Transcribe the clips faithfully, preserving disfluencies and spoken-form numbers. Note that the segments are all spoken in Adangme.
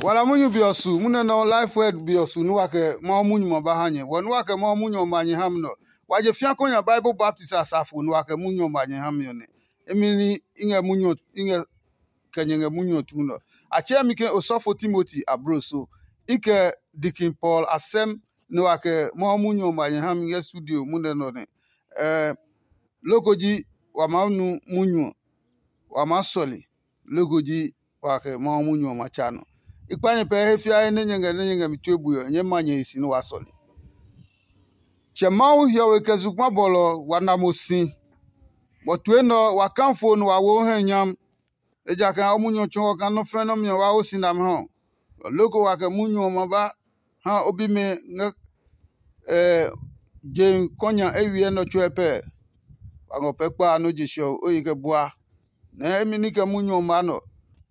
Wala munyu be ɔ su, munɛ nɔ Life Word be ɔ su nɛ wa kɛ Mawu munyu ɔ ba ha nyɛ. Wɔ nɛ wa kɛ Mawu munyu ɔ ma nyɛ ha mi nɛ ɔ, wa je fĩa kɔ nya Bible baptist asafo nɛ wa kɛ munyu ɔ ma nyɛ ha mi ɔ nɛ. Emi ní i ngɛ munyu ɔ i ngɛ kɛ nyɛ ngɛ munyu ɔ tuu nɛ ɔ. A tsɛɛ mi ke osɔfo Timoti ablo so. I kɛ Dikin Paul asɛm nɛ wa kɛ Mawu munyu ɔ ma nyɛ ha mi ngɛ studio munɛ nɛ ɔ nɛ. Ɛɛ, loko ji wa maa nu munyu ɔ, wa maa sɔle. Loko ji wa kɛ Mawu munyu ɔ ma tsa nɔ. I kpa nyɛ pɛɛ he fiae nɛ nyɛ ngɛ nɛ nyɛ ngɛ mi tue bue ɔ, nyɛɛ ma nyɛ he si nɛ waa sɔle. Tsɛ Mawu hiɔwe kɛ zugba bɔlɔ ɔ, wa na mo si. Bɔ tue nɛ ɔ, wa kafo nɛ wa wo o hɛ nyam, ejakaa o munyu ɔ tsɔɔ kaa nɔ́ fɛ̃ nɔ́ mi ɔ wa wo si nami ha ɔ. Lɔ loko wa kɛ munyu ɔ ma ba ha o bimɛ ngɛ je kɔnya eywiɛ nɛ ɔ tsuɛ pɛɛ? Wa ngɔ pɛ kpa a nɔ́ je sɛ ɔ, o ye kɛ bua. Nɛɛ imi ní kɛ munyu ɔ maa nɔ,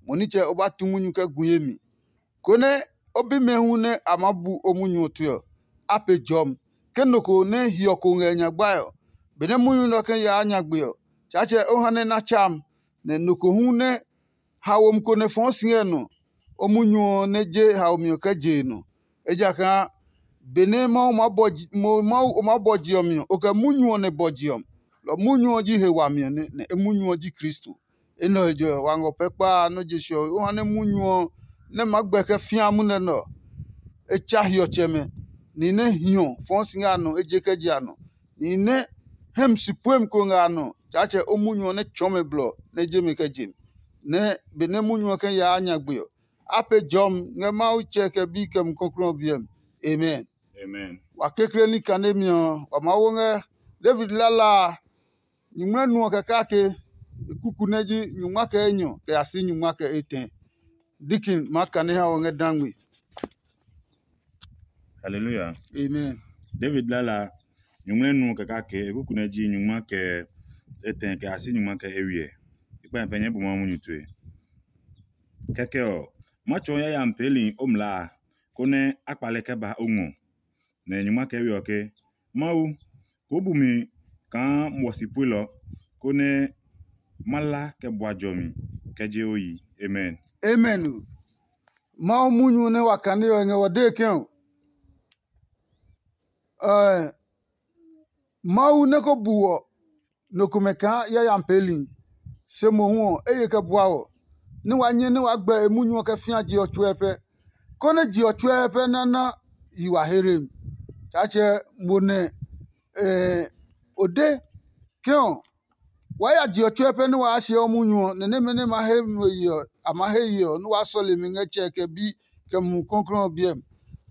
mo nitsɛ o ba tu munyu kɛ gu ye mi, konɛ o bimɛ hu nɛ a maa bu o munyu ɔ tue ɔ, a pe jɔmi. Ke nɔ ko nɛ hiɔ ko ngɛ nyagbae ɔ, benɛ munyu nɛ ɔ kɛ yaa nyagbe ɔ, Tsaatsɛ o ha nɛ na tsaam, nɛ nɔ ko hu nɛ haomi ko nɛ fɔɔ si ngɛ nɔ, o munyu ɔ nɛ je haomi ɔ kɛ je e nɔ. Ejakaa benɛ Mawu maa bɔ ji- mo- Mawu o maa bɔ je ɔ mi ɔ, o kɛ munyu ɔ nɛ bɔ je ɔ mi. Lɔ munyu ɔ ji he wami ɔ nɛ, nɛ e munyu ɔ ji Kristo. Enɛ ɔ he jɔ wa ngɔ pɛ kpaa nɔ́ je se ɔ, o ha nɛ munyu ɔ nɛ maa gbɛ kɛ fĩa munɛ nɛ ɔ, e tsa hiɔtsɛmɛ, ni nɛ hiɔ fɔɔ si ngɛ a nɔ eje kɛ je a nɔ, ni nɛ hɛmi si puemi ko ngɛ a nɔ. Tsaatsɛ o munyu ɔ nɛ tsɔɔ mɛ blɔ nɛ je mɛ kɛ je mi, nɛ benɛ munyu ɔ kɛ yaa nyagbe ɔ, a pee jɔmi ngɛ Mawu Tsɛ kɛ Bi kɛ Mumi Klɔuklɔu ɔ biɛ mi. Amen. Amen. Wa kekle ní kanemi ɔ, wa maa wo ngɛ David lala a, nyuŋmlɛ nu ɔ kɛ kake e kuku nɛ ji nyungma kɛ enyɔ kɛ ya si nyungma kɛ etɛ. Dikin maa kane ha ɔ ngɛ dangme. Hallelujah. Amen. David lala nyuŋmlɛ nu ɔ kɛ kake e kuku nɛ ji nyungma kɛ etɛ kɛ ya si nyungma kɛ ewiɛ. I kpa nyɛ pɛ nyɛɛ bu Mawu munyu tue. Kɛkɛ ɔ, ma tsɔɔ yayami peeli o mlaa a, konɛ a kpale kɛ ba o ngɔ. Nɛ nyungma kɛ we ɔ ke, Mawu, koo bu mi kaa muɔ si puelɔ, konɛ ma la kɛ bua jɔmi kɛ je o yi. Amen. Amen o. Mawu munyu nɛ wa kane ɔ ngɛ wɔ dee kɛ ɔ, Mawu nɛ ko bu wɔ nɔ komɛ kaa yayami peeli, se mohu ɔ, e ye kɛ bua wɔ, nɛ wa nyɛ nɛ waa gbɛ e munyu ɔ kɛ fĩa je ɔ tsuɛ pɛ, konɛ je ɔ tsuɛ pɛ nɛ na yi wa here mi. Tsaatsɛ mo nɛ o de ke ɔ, waa ya je ɔ tsuɛ pɛ nɛ waa siɛ o munyu ɔ, nɛ nɛmɛ nɛ ma he mo ye ɔ, a ma he ye ɔ, nɛ waa sɔle mi ngɛ Tsɛ kɛ Bi kɛ Mumi Klɔuklɔu ɔ biɛ mi.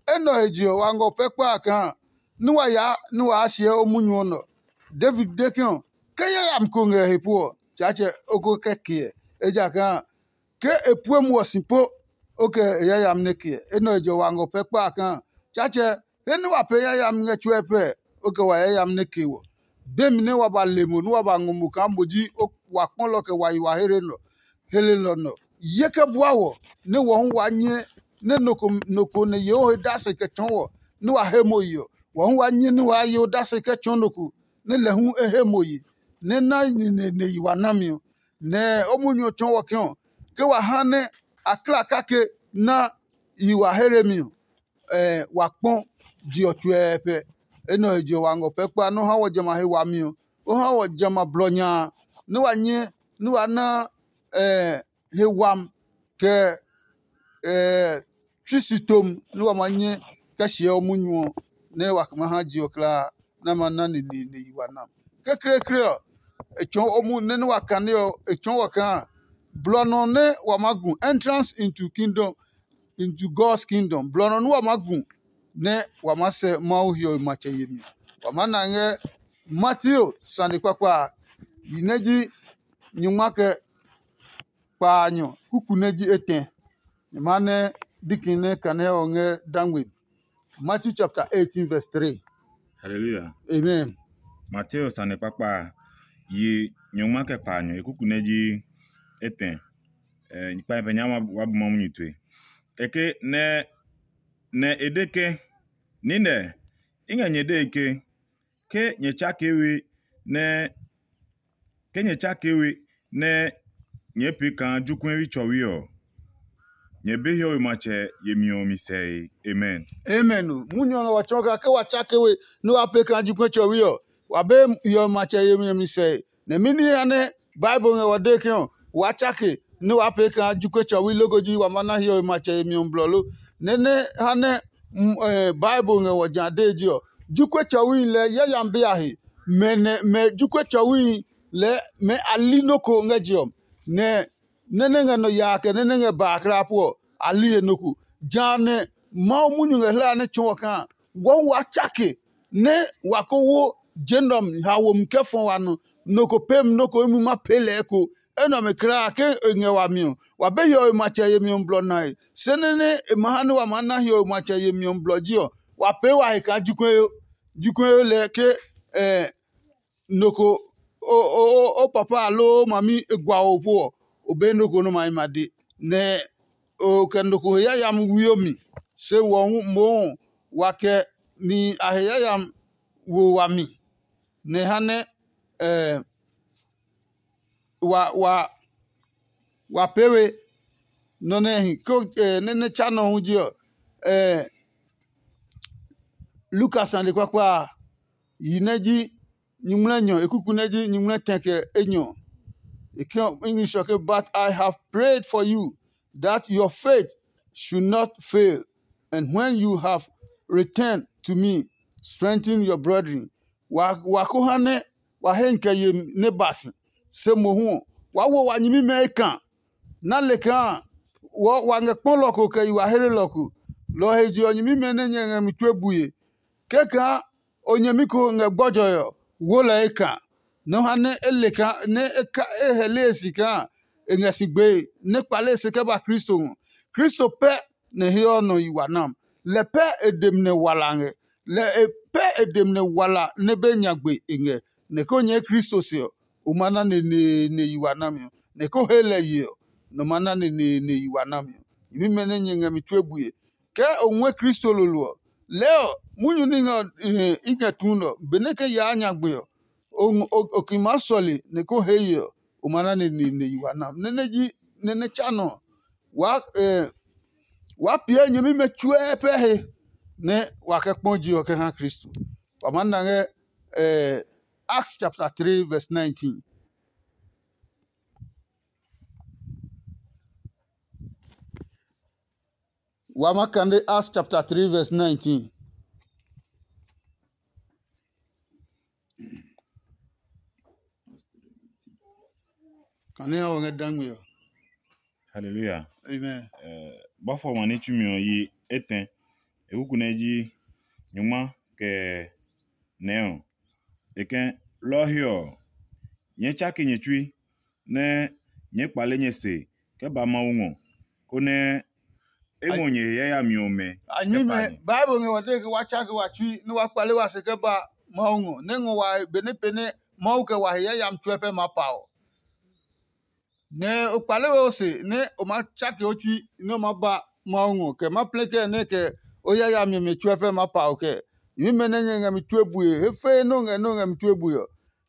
Enɛ ɔ he je ɔ, wa ngɔ pɛ kpa a kaa nɛ wa yaa nɛ waa siɛ o munyu ɔ nɔ. David de ke ɔ, ke yayami ko ngɛ he pu ɔ, Tsaatsɛ o ko kɛ ke ɛ, ejakaa ke e pue muɔ si po, o kɛ e yayami nɛ ke ɛ. Enɛ ɔ he je ɔ, wa ngɔ pɛ kpa a kaa, Tsaatsɛ, he nɛ wa pee yayami ngɛ tsuɛ pɛ, o kɛ wa yayami nɛ ke wɔ. Bemi nɛ wa ba le mo nɛ wa ba ngɔ mo kaa mo ji wa kpɔlɔ kɛ wa yi wa here nɔ, hele nɔ nɔ. Ye kɛ bua wɔ, nɛ wɔ hu waa nyɛ nɛ nɔ ko nɔ ko nɛ ye o he dase kɛ tsɔɔ wɔ, nɛ wa he mo yi ɔ, wɔ hu waa nyɛ nɛ waa ye odase kɛ tsɔɔ nɔ ko nɛ lɛ hu e he mo yi, nɛ na nine nɛ yi wa nami ɔ. Nɛ o munyu ɔ tsɔɔ wɔ ke ɔ, ke wa ha nɛ a kla kake na yi wa here mi ɔ, wa kpɔ je ɔ tsuɛɛ pɛ. Enɛ ɔ he je ɔ, wa ngɔ pɛ kpa nɛ o ha wɔ jamɛ a he wami ɔ, o ha wɔ jamɛ a blɔ nya a, nɛ wa nyɛ nɛ wa na he wami kɛ tsui si tom nɛ wa ma nyɛ kɛ siɛ o munyu ɔ, nɛ wa kɛ ma ha je ɔ kulaa nɛ a ma na neneene yi wa na. Kekleekle ɔ, e tsɔɔ o munyu nɛ nɛ wa kane ɔ, e tsɔɔ wɔ kaa blɔ nɔ nɛ wa maa gu, entrance into kingdom, into God's kingdom. Blɔ nɔ nɛ wa maa gu nɛ wa maa sɛ Mawu hiɔwe matsɛ yemi. Wa maa na ngɛ Mateo sane kpakpa a, yi nɛ ji nyingma kɛ kpaanyɔ kuku nɛ ji etɛ. Nyɛ maa nɛ diki nɛ kane ɔ ngɛ dangbe. Matthew chapter eighteen verse three. Hallelujah. Amen. Mateo sane kpakpa a, yi nyɔngma kɛ kpaanyɔ e kuku nɛ ji etɛ. Eh, kpa pɛ nya wa bu mamu nyi tue. Eke nɛ nɛ e de ke, nine, i ngɛ nyɛ dee ke, ke nyɛ tsake we nɛ ke nyɛ tsake we nɛ nyɛɛ pee kaa jokuɛwi tsɔwi ɔ, nyɛ be hiɔwe matsɛ yemi ɔ mi sɛe. Amen. Amen o. Munyu ɔ ngɛ wa tsɔɔ kaa ke wa tsake we nɛ wa pee kaa ji kue tsɔwi ɔ, wa be hiɔwe matsɛ yemi ɔ mi sɛe. Nɛ mɛni ha nɛ Bible ngɛ wa dee ke ɔ, waa tsake nɛ waa pee kaa ji kue tsɔwi loko ji wa ma na hiɔwe matsɛ yemi ɔ blɔ lo? Nɛ nɛ ha nɛ Bible ngɛ wɔ ja dee ji ɔ, ji kue tsɔwi lɛɛ yayami be a he. Mɛ nɛ mɛ ji kue tsɔwi lɛɛ mɛ a li nɔ́ ko ngɛ je ɔ, nɛ nɛ nɛ ngɛ nɔ yaa kɛ nɛ nɛ ngɛ baa kra po ɔ, a li he nɔ ko. Jehanɛ Mawu munyu ngɛ hlaa nɛ tsɔɔ kaa wɔɔ wa tsake nɛ wa ko wo je nɛ ɔ mi ha womi kɛ fɔ wa nɔ, nɔ ko pemi nɔ ko imi ma pee lɛ eko. Enɛ ɔmɛ kulaa ke e ngɛ wami ɔ, wa be hiɔwe matsɛ yemi ɔ blɔ nae. Se nɛ nɛ e ma ha nɛ wa maa na hiɔwe matsɛ yemi ɔ blɔ ji ɔ, wa pee wa he kaa ji kue yo. Ji kue yo lɛ ke nɔ ko o papa aloo o mami e gua o po ɔ, o be nɔ ko nɛ o ma yi ma de. Nɛ o kɛ nɔ ko he yayami wio mi, se wɔ hu mohu wa kɛ nihi a he yayami wo wami, nɛ e ha nɛ wa wa wa pee we nɔ nɛ hi ko nɛ nɛ tsa nɔ hu ji ɔ. Lukas sane kpakpa a, yi nɛ ji nyuŋmlɛ nyɔ e kuku nɛ ji nyuŋmlɛ tɛ kɛ enyɔ. E ke English ɔ ke, "But I have prayed for you that your faith should not fail, and when you have returned to me, strengthen your brethren." Wa ko ha nɛ wa he kɛ yemi nɛ ba si, se mohu ɔ, waa wo wa nyɛmimɛ ekan. Na le kaa wa ngɛ kpɔ lɔ ko kɛ yi wa hlelɔ ko. Lɔ ɔ he je ɔ, nyɛmimɛ nɛ nyɛ ngɛ mi tue bue. Kɛkaa o nyɛmi ko ngɛ gbɔjɔe ɔ, wo lɛ ekan. Nɔ ha nɛ e le kaa nɛ e ka e hɛle e si kaa e ngɛ si gbee nɛ kpale e se kɛ ba Kristo ngɔ. Kristo pɛ nɛ he ɔ nɔ yi wa nam. Lɛ pɛ e dem nɛ wala ngɛ. Lɛ e pɛ e dem nɛ wala nɛ be nyagbe e ngɛ. Nɛ ko nyɛɛ Kristo se ɔ, o ma na neneene yi wa nami ɔ. Nɛ ko he lɛ ye ɔ, nɔ ma na neneene yi wa nami ɔ. Nyɛmimɛ nɛ nyɛ ngɛ mi tue bue. Ke o ngɔɛ Kristo lolo ɔ, lɛɛ ɔ, munyu nɛ i ngɛ tuu nɛ ɔ, benɛ ke yaa nyagbe ɔ, o ki maa sɔle nɛ ko hee ye ɔ, o ma na neneene yi wa nam. Nɛ nɛ ji nɛ nɛ tsa nɔ ɔ, waa piɛ nyɛmimɛ tsuɛ pɛ he nɛ wa kɛ kpɔ je ɔ kɛ ha Kristo. Wa maa na ngɛ Acts chapter three verse nineteen. Wa ma kane Acts chapter three verse nineteen. Kane a wɔ ngɛ dangme ɔ. Hallelujah. Amen. Bɔfo ɔmɛ ní tsumi ɔ yi etɛ. E kuku nɛ ji nyuma kɛ nɛ ɔ. E kɛ lɔ ɔ he ɔ, nyɛɛ tsake nyɛ tsui nɛ nyɛɛ kpale nyɛ se kɛ ba Mawu ngɔ, konɛ e ngɔ nyɛ he yayami ɔmɛ. A nyuimɛ, Bible ngɛ wa de ke wa tsake wa tsui nɛ wa kpale wa se kɛ ba Mawu ngɔ, nɛ ngɔ wa benɛ pɛ nɛ Mawu kɛ wa he yayami tsuɛ pɛ maa pa ɔ. Nɛ o kpale we o se nɛ o maa tsake o tsui nɛ o maa ba Mawu ngɔ kɛ ma plɛ kɛ nɛ kɛ o yayami ɔmɛ tsuɛ pɛ maa pa o kɛ. Nyuimɛ nɛ nyɛ ngɛ mi tue bue, he fee nɛ o ngɛ nɛ o ngɛ mi tue bue ɔ,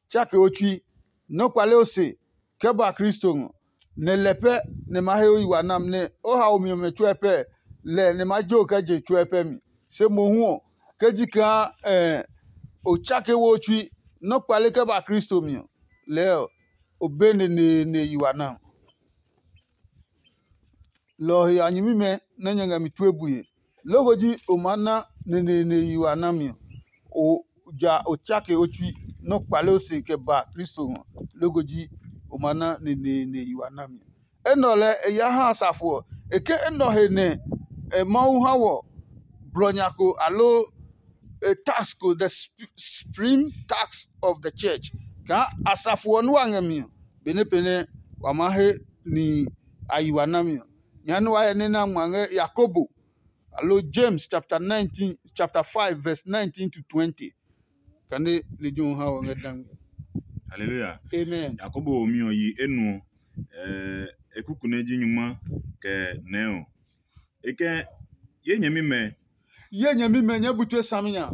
tsake o tsui, nɛ o kpale o se kɛ ba Kristo ngɔ, nɛ lɛ pɛ nɛ ma he o yi wa nam nɛ o haomi ɔmɛ tsuɛ pɛ lɛ nɛ ma jo kɛ je tsuɛ pɛ mi. Se mohu ɔ, ke ji kaa o tsake wo o tsui nɛ o kpale kɛ ba Kristo mi ɔ, lɛɛ ɔ, o be neneene yi wa nam. Lɔ ɔ he a nyɛmimɛ nɛ nyɛ ngɛ mi tue bue. Loko ji o maa na neneene yi wa nami ɔ, o ja o tsake o tsui nɛ o kpale o se kɛ ba Kristo ngɔ. Loko ji o maa na neneene yi wa nami ɔ. Enɛ ɔ lɛɛ e ya ha asafo ɔ. E ke enɛ ɔ he nɛ Mawu ha wɔ blɔ nya ko aloo tax ko, the supreme tax of the church, kaa asafo ɔ nɛ wa ngɛ mi ɔ, benɛ pɛ nɛ wa maa he nihi a yi wa nami ɔ. Nya nɛ wa hyɛ nɛ na ngma ngɛ Yakobo aloo James chapter nineteen, chapter five verse nineteen to twenty. Kane lejɛ ɔ ha wɔ ngɛ dangɛ. Hallelujah. Amen. Yakobo womi ɔ yi enuɔ, e kuku nɛ ji nyuma kɛ nɛɛ ɔ. E kɛ ye nyɛmimɛ. Ye nyɛmimɛ, nyɛɛ bu tue saminya.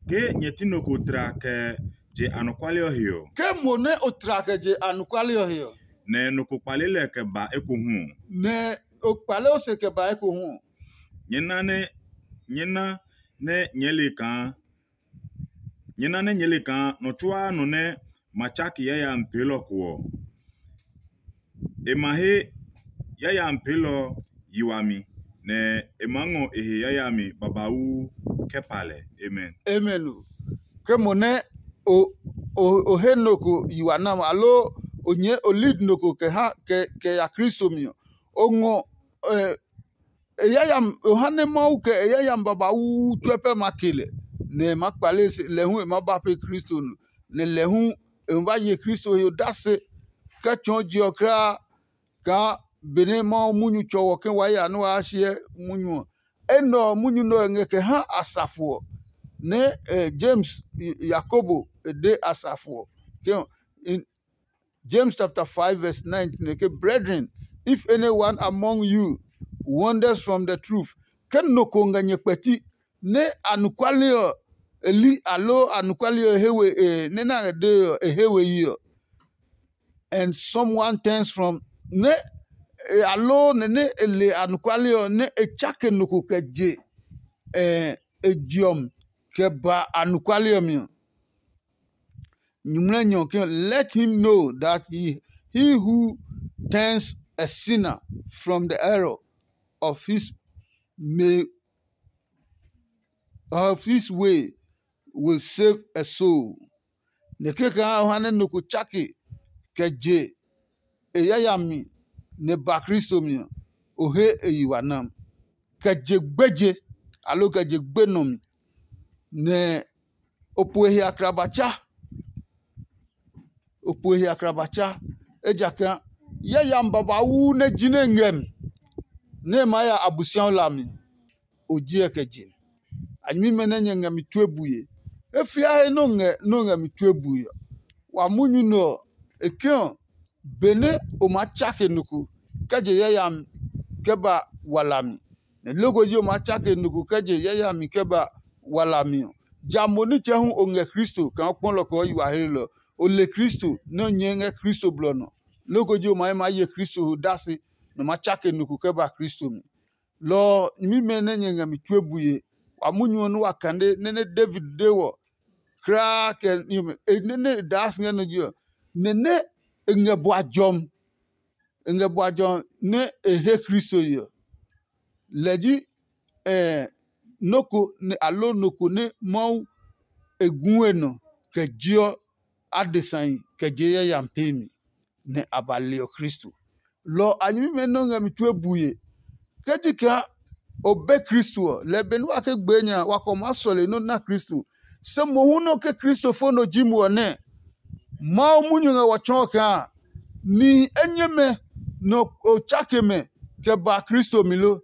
Ke nyɛ ti nɔ ko tla kɛ je anɔkuale ɔ he ɔ. Ke mo nɛ o tla kɛ je anɔkuale ɔ he ɔ. Nɛ nɔ ko kpale lɛ kɛ ba ekohu ɔ. Nɛ O kpale o se kɛ ba ekohu ɔ. Nyɛ na nɛ nyɛ na nɛ nyɛɛ le kaa nyɛ na nɛ nyɛɛ le kaa nɔ tsuaa nɔ nɛ ma tsake yayami peelɔ ko ɔ, e ma he yayami peelɔ yi wami, nɛ e maa ngɔ e he yayami babauu kɛ pa lɛ. Amen. Amen o. Ke mo nɛ o o o he nɔ ko yi wa nam, aloo o nyɛɛ o lead nɔ ko kɛ ha kɛ kɛ ya Kristo mi ɔ, o ngɔ ɛ e yayami o ha nɛ Mawu kɛ e yayami babauu tsuɛ pɛ ma ke lɛ, nɛ e ma kpale se lɛ hu e ma ba pe Kristo nɔ, nɛ lɛ hu e ma ba ye Kristo he odase kɛ tsɔɔ je ɔ kulaa kaa benɛ Mawu munyu tsɔ wɔ ke wa ya nɛ waa hyɛ munyu ɔ. Enɛ ɔ munyu nɛ ɔ ngɛ kɛ ha asafo ɔ, nɛ eh, James, Yakobo e de asafo ɔ ke ɔ, in James chapter five verse nineteen e ke, "Brethren, if anyone among you wanders from the truth," ke nɔ ko ngɛ nyɛ kpɛti nɛ anɔkuale ɔ e li aloo anɔkuale ɔ e he we e nɛ na ngɛ dee ɔ e he we yi ɔ, and someone turns from nɛ e aloo nɛ nɛ e le anɔkuale ɔ nɛ e tsake nɔ ko kɛ je eh, e je ɔ mi kɛ ba anɔkuale ɔ mi ɔ, nyumu nɛ nyɔ ke let him know that he, he who turns a sinner from the error of his may of his way will save a soul. Nɛ kɛkaa o ha nɛ nɔ ko tsake kɛ je e yayami nɛ ba Kristo mi ɔ, o he e yi wa nam. Kɛ je gbeje aloo kɛ je gbe nɔ mi, nɛ o po e he akraba tsa. O po e he akraba tsa, ejakaa yayami babauu nɛ ji nɛ ngɛ mi, nɛ e maa ya Abosiaɔ hlami, o jiɛ kɛ je. A nyɛmimɛ nɛ nyɛ ngɛ mi tue bue. E fia he nɛ o ngɛ nɛ o ngɛ mi tue bue ɔ, wa munyu nɛ ɔ, e ke ɔ, benɛ o maa tsake nɔ ko kɛ je yayami kɛ ba walami, nɛ loko ji o maa tsake nɔ ko kɛ je yayami kɛ ba walami ɔ, ja mo nitsɛ hu o ngɛ Kristo kaa o kpɔ lɔ kɛ o yi wa hlelɔ. O le Kristo nɛ o nyɛɛ ngɛ Kristo blɔ nɔ. Loko ji o maa ye Kristo ho dasi nɛ o maa tsake nɔ ko kɛ ba Kristo mi. Lɔ ɔ, nyɛmimɛ nɛ nyɛ ngɛ mi tue bue, wa munyu ɔ nɛ wa kane nɛ nɛ David de wɔ kulaa kɛ nɛ e daa si ngɛ nɔ je ɔ, nɛ nɛ e ngɛ bua jɔmi. E ngɛ bua jɔmi nɛ e he Kristo ye ɔ. Lɛ ji nɔ́ ko nɛ aloo nɔ ko nɛ Mawu e gu e nɔ kɛ jeɔ adesai kɛ je yayami peemi, nɛ a ba leɔ Kristo. Lɔ ɔ a nyɛmimɛ nɛ o ngɛ mi tue bue. Ke ji kaa o be Kristo ɔ, lɛ benɛ wa ke gbee nya a, wa kɛ o maa sɔle nɛ o na Kristo. Se mohu nɛ o ke kristofo nɔ ji mo ɔ nɛ, Mawu munyu ngɛ wɔ tsɔɔ kaa nihi enyɛmɛ nɛ o tsake mɛ kɛ ba Kristo mi lo?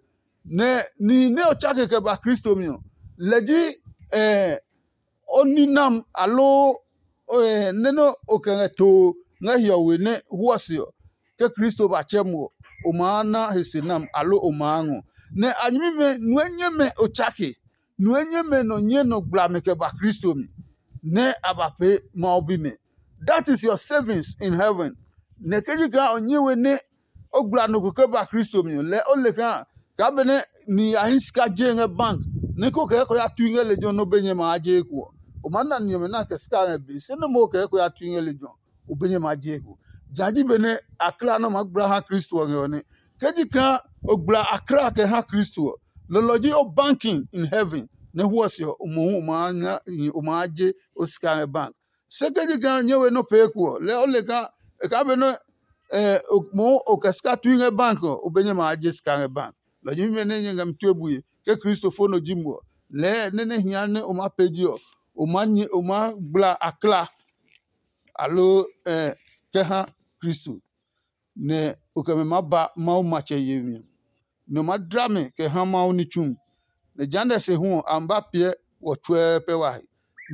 Nɛ nihi nɛ o tsake kɛ ba Kristo mi ɔ, lɛ ji o ninam aloo nɛ nɛ o kɛ ngɛ too ngɛ hiɔwe nɛ huɔ se ɔ, ke Kristo ba tsɛ mo ɔ, o maa na he se nam aloo o maa ngɔ. Nɛ a nyɛmimɛ nue nyɛmɛ o tsake, nue nyɛmɛ nɔ nyɛ nɔ gblami kɛ ba Kristo mi, nɛ a ba pee Mawu bimɛ. That is your savings in heaven. Nɛ ke ji kaa o nyɛ we nɛ o gbla nɔ ko kɛ ba Kristo mi ɔ, lɛɛ o le kaa kaa benɛ nihi ya hii sika jee ngɛ bank nɛ ko kɛ kɔ ya tui ngɛ lejɛ ɔ nɛ o be nyɛ ma a je eko ɔ, o maa na ni ɔmɛ nɛ a kɛ sika ngɛ be se nɛ mo kɛ kɔ ya tui ngɛ lejɛ ɔ, o be nyɛ ma a je eko. Ja ji benɛ akla nɛ o maa gbla ha Kristo ɔ ngɛ ɔ nɛ. Ke ji kaa o gbla akla kɛ ha Kristo ɔ, lɔlɔ ji o banking in heaven nɛ huɔ se ɔ, o mohu o maa nya o maa je o sika ngɛ bank. Se ke ji kaa nyɛ we nɔ pee ko ɔ, lɛɛ o le kaa e kaa be nɛ mohu o kɛ sika tui ngɛ bank ɔ, o be nyɛ ma a je sika ngɛ bank. Lɔ nyɛmimɛ nɛ nyɛ ngɛ mi tue bue ke kristofo nɔ ji mo ɔ, lɛɛ nɛ nɛ hia nɛ o maa pee ji ɔ, o maa nyɛ o maa gbla akla aloo kɛ ha Kristo, nɛ o kɛ mɛ maa ba Mawu matsɛ yemi ɔ, nɛ o maa dla mɛ kɛ ha Mawu ní tsu. Nɛ jehanɛ se hu ɔ, a ma ba piɛ wɔ tsuɛɛ pɛ wa he,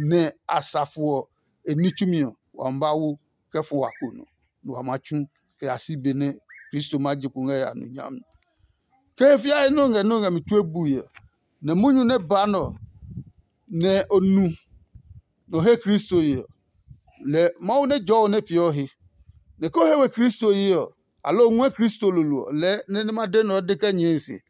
nɛ asafo ɔ e ní tsumi ɔ, wa ma ba wo kɛ fɔ wa ko nɔ, nɛ wa ma tsu kɛ ya si be nɛ Kristo ma je kpo ngɛ ya nu nyami. Ke he fiae nɛ o ngɛ nɛ o ngɛ mi tue bui ɔ, nɛ munyu nɛ ba nɛ ɔ, nɛ o nu nɛ o he Kristo ye ɔ, lɛ Mawu nɛ jɔɔ o nɛ peeɔ he. Nɛ ke o he we Kristo ye ɔ, aloo ngɔɛ Kristo lolo ɔ lɛɛ nɛ nɛ ma de nɛ ɔ de kɛ nyɛe se.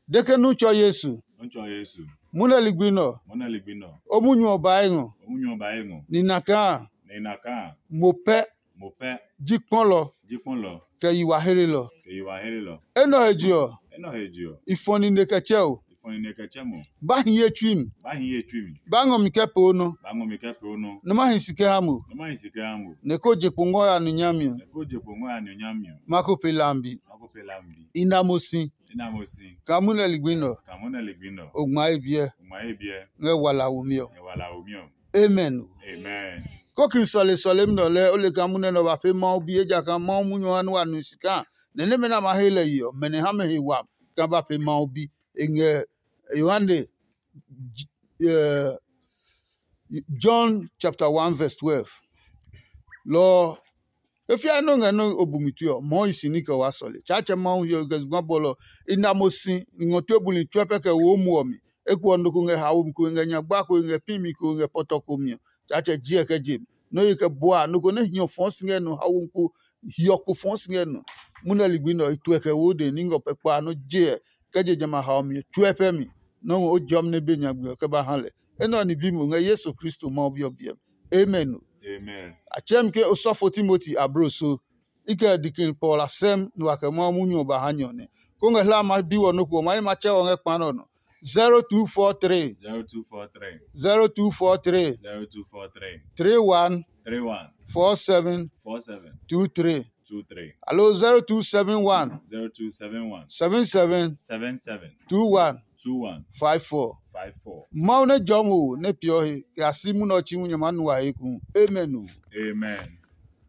De ke nu tsɔ Yesu. Nu tsɔ Yesu. Mu nɛ ligbi nɛ ɔ, Mo na ligbi nɔ. O munyu ɔ bae ngɔ. O munyu ɔ ba ye ngɔ. Nina kaa Ne na kaa. Mo pɛ Mo pɛ. Ji kpɔlɔ Ji kpɔlɔ. Kɛ yi wa hlelɔ. Kɛ yi wa hele lɔ. Enɛ ɔ he je ɔ, Enɔ he je ɔ. I fɔ nine kɛ tsɛ o. Ifɔni ne kɛ tsɛ mo. Ba hi ye tsui mi. Ba hi ye tsui mi. Ba ngɔ mi kɛ poo nɔ. Ba ngɔ mi kɛ poo nɔ. Nɛ ma hi si kɛ ha mo. Nɔ ma hi si kɛ ha mo. Nɛ ko je kpo ngɔ ya nu nyami ɔ. Nɛ ko je kpo ngɔ ya nu nyami ɔ. Ma ko pe lambi. Ma ko pe lambi. I na mo si. I na mo si. Ka mu nɛ ligbi nɔ. Ka mo nɛ ligbi nɔ. O ngma ye biɛ. O ngma ye biɛ. Ngɛ wala wo mi ɔ. Ngɛ wala wo mi ɔ. Amen. Amen. Kokin sɔle sɔlemi nɛ ɔ lɛɛ o le kaa munɛ nɛ ɔ ba pee Mawu bi, ejakaa Mawu munyu ɔ ha nɛ wa nu si kaa nɛ nɛmɛ nɛ a ma he lɛ yi ɔ, mɛ nɛ ha mɛ he wami kaa ba pee Mawu bi. E ngɛ Yohane, J- eh, John chapter one verse twelve. Lɔ ɔ, e fiae nɔ́ ngɛ nɔ́ o bu mi tue ɔ, mɔɔ i si ní kɛ waa sɔle. Tsaatsɛ Mawu hiɔ kɛ zugba bɔlɔ i na mo si ngɔ tue buli tsuɛ pɛ kɛ wo mu ɔ mi. Eko ɔ, nɔ ko ngɛ haomi ko ngɛ nyagba ko ngɛ pimi ko ngɛ pɔtɔ ko mi ɔ, Tsaatsɛ jiɛ kɛ je mi. Nɔ́ ye kɛ bua nɔ ko nɛ hiɔ fɔɔ si ngɛ nɔ, haomi ko hiɔ ko fɔɔ si ngɛ nɔ. Munɛ ligbi nɛ ɔ, i tuɛ kɛ wo de ní ngɔ pɛ kpa nɔ́ je ɛ kɛ je jamɛ a haomi ɔ tsuɛ pɛ mi. Nɔ́ ngɔ o jɔmi nɛ be nyagbe ɔ kɛ ba ha lɛ. Enɛ ɔ ni bi mo ngɛ Yesu Kristo Mawu Bi ɔ biɛ mi. Amen. Amen. A tsɛɛ mi ke osɔfo Timoti ablo so. I kɛ dikin Paul a sɛm nɛ wa kɛ Mawu munyu ɔ ba ha nyɛ ɔ nɛ. Ko ngɛ hla ma bi wɔ nɔ́ ko ɔ, ma yi ma tsɛ wɔ ngɛ kpa nɛ ɔ nɔ. zero two four three Zero two four three. zero two four three Zero two four three. Three one Three one. four seven Four seven. two three Two three. Alo zero two seven one Zero two seven one. seven seven Seven seven. two one Two one. five four. Five four. Mawu nɛ jɔ mo nɛ piɔ he kɛ a si munɛ ɔ tsi hu nyɛ ma nu wa he ku. Amen o. Amen.